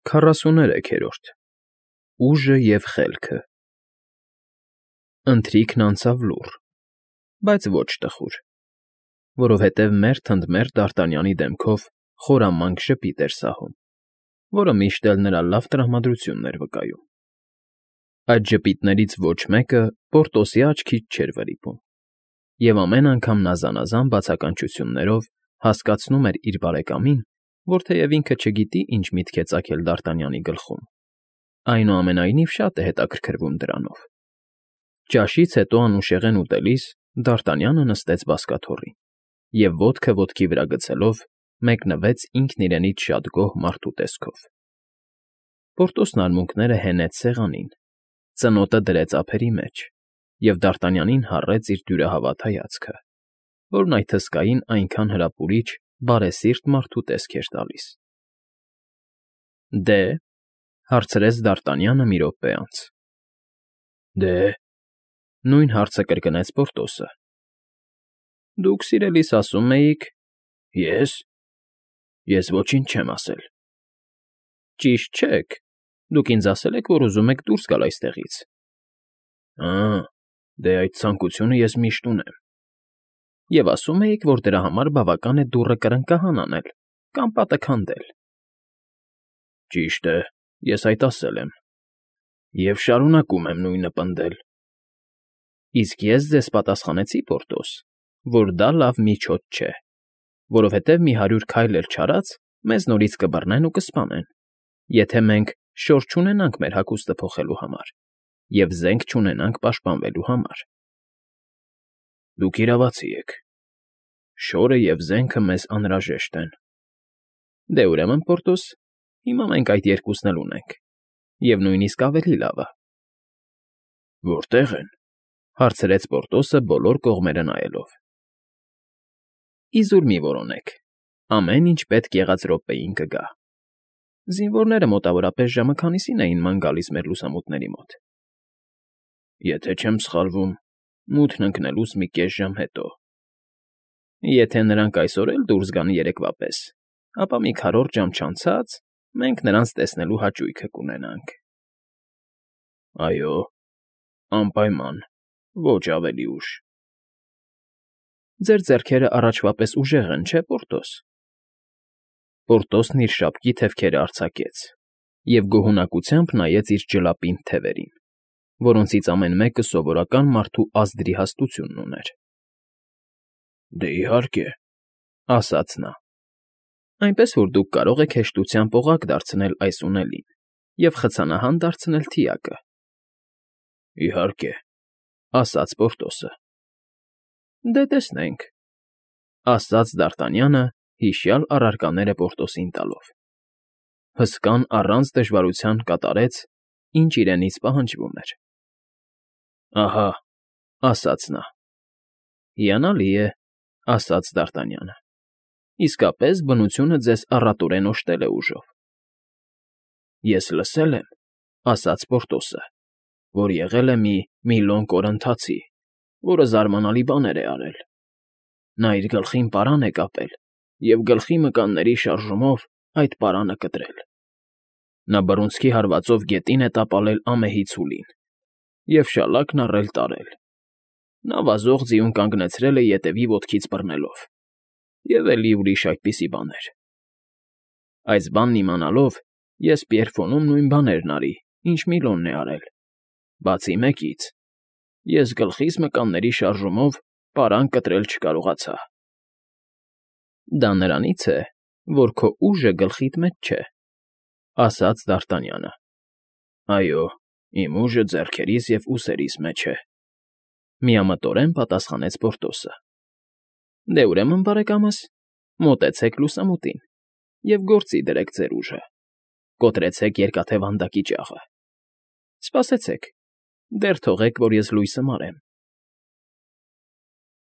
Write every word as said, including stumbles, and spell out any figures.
Քառասուներեքերորդ Ուժը և խելքը Ընթրիքն անցավ լուռ, բայց ոչ տխուր, որովհետև մերթ ընդ մերթ Դարտանյանի դեմքով խորամանկ ժպիտ էր սահում, որը միշտ էլ նրա լավ տրամադրությունն էր վկայում. այդ ժպիտներից ոչ մեկը Պորտոսի աչքից չէր վրիպում, և ամեն անգամ նա զանազան բացականչություններով հասկացնում էր իր բարեկամին, որ թեև ինքը չգիտի ինչ միտք է ծագել Դարտանյանի գլխում, այնուամենայնիվ շատ է հետաքրքրվում դրանով։ Ճաշից հետո անուշեղեն ուտելիս Դարտանյանը նստեց բազկաթոռին և ոտքը ոտքի վրա գցելով մեկնվեց ինքն իրենից շատ գոհ մարդու տեսքով։ Պորտոսն արմունկները հենեց սեղանին, ծնոտը դրեց ափերի մեջ և Դարտանյանին հառեց իր դյուրահավատ հայացքը, որն այդ հսկային այնքան հրապուրիչ, բարեսիրտ մարդու տեսք էր տալիս։ ֊ Դե՞,֊ հարցրեց Դարտանյանը մի րոպե անց։ ֊ Դե՞,֊ նույն հարցը կրկնեց Պորտոսը։ ֊ Դուք սիրելիս ասում էիք… ֊ Ե՞ս… Ես ոչինչ չեմ ասել։ ֊ Ճիշտ չեք, դուք ինձ ասել եք, որ ուզում եք դուրս գալ այստեղից։ ֊ Ա՜, դե այդ ցանկությունը ես միշտ ունեմ։ ֊ Եվ ասում էիք, որ դրա համար բավական է դուռը կրկնակահան անել կամ պատը քանդել։ ֊ Ճիշտ է, ես այդ ասել եմ, և շարունակում եմ նույնը պնդել։ ֊ Իսկ ես ձեզ պատասխանեցի, Պորտոս, որ դա լավ միջոց չէ, որովհետև մի հարյուր քայլ էլ չարած մեզ նորից կբռնեն ու կսպանեն, եթե մենք շոր չունենանք մեր հագուստը փոխելու համար և զենք չունենանք պաշտպանվելու համար։ ֊ Դուք իրավացի եք, շորը և զենքը մեզ անհրաժեշտ են։ ֊ Դե, ուրեմն, Պորտոս, հիմա մենք այդ երկուսն էլ ունենք, և նույնիսկ ավելի լավը։ ֊ Որտե՞ղ են,֊ հարցրեց Պորտոսը բոլոր կողմերը նայելով։ ֊ Իզուր մի որոնեք, ամեն ինչ պետք եղած րոպեին կգա։ Զինվորները մոտավորապես ժամը քանիսին էին ման գալիս մեր լուսամուտների մոտ։ ֊ Եթե չեմ սխալվում, մութն ընկնելուց մի կես ժամ հետո։ ֊ Եթե նրանք այսօր էլ դուրս գան երեկվա պես, ապա մի քառորդ ժամ չանցած մենք նրանց տեսնելու հաճույքը կունենանք։ ֊ Այո, անպայման, ոչ ավելի ուշ։ ֊ Ձեր ձեռքերը առաջվա պես ուժեղ են, չէ՞, Պորտոս։ Պորտոսն իր շապկի թևքերն արձակեց և գոհունակությամբ նայեց իր ջլապինդ թևերին, որոնցից ամեն մեկը սովորական մարդու ազդրի հաստությունն ուներ։ ֊ Դե, իհարկե,֊ ասաց նա։ ֊ Այնպես որ դուք կարող եք հեշտությամբ օղակ դարձնել այս ունելին և խցանահան դարձնել թիակը։ ֊ Իհարկե,֊ ասաց Պորտոսը։ ֊ Դե, տեսնենք,֊ ասաց Դարտանյանը հիշյալ առարկաները Պորտոսին տալով։ Հսկան առանց դժվարության կատարեց, ինչ իրենից պահանջվում էր։ ֊ Ահա,֊ ասաց նա։ ֊ Հիանալի է,֊ ասաց Դարտանյանը։ ֊ Իսկապես բնությունը ձեզ առատորեն օժտել է ուժով։ ֊ Ես լսել եմ,֊ ասաց Պորտոսը,֊ որ եղել է մի Միլոն կորընթացի, որը զարմանալի բաներ է արել։ Նա իր գլխին պարան է կապել և գլխի մկանների շարժումով այդ պարանը կտրել։ Նա բռունցքի հարվածով գետին է տապալել ամեհի ցուլին և շալակն առել տարել։ Նա վազող ձիուն կանգնեցրել է ետևի ոտքից բռնելով և էլի ուրիշ այդպիսի բաներ։ Այս բանն իմանալով ես Պիերֆոնում նույն բաներն արի, ինչ Միլոնն է արել, բացի մեկից, ես գլխիս մկանների շարժումով պարան կտրել չկարողացա։ ֊ Դա նրանից է, որ քո ուժը գլխիդ մեջ չէ,֊ ասաց Դարտանյանը։ ֊ Այո, իմ ուժը ձեռքերիս և ուսերիս մեջ է,֊ միամտորեն պատասխանեց Պորտոսը։ ֊ Դե, ուրեմն, բարեկամս, մոտեցեք լուսամուտին և գործի դրեք ձեր ուժը, կոտրեցեք երկաթե վանդակի ճաղը։ Սպասեցեք, դեռ թողեք, որ ես լույսը մարեմ։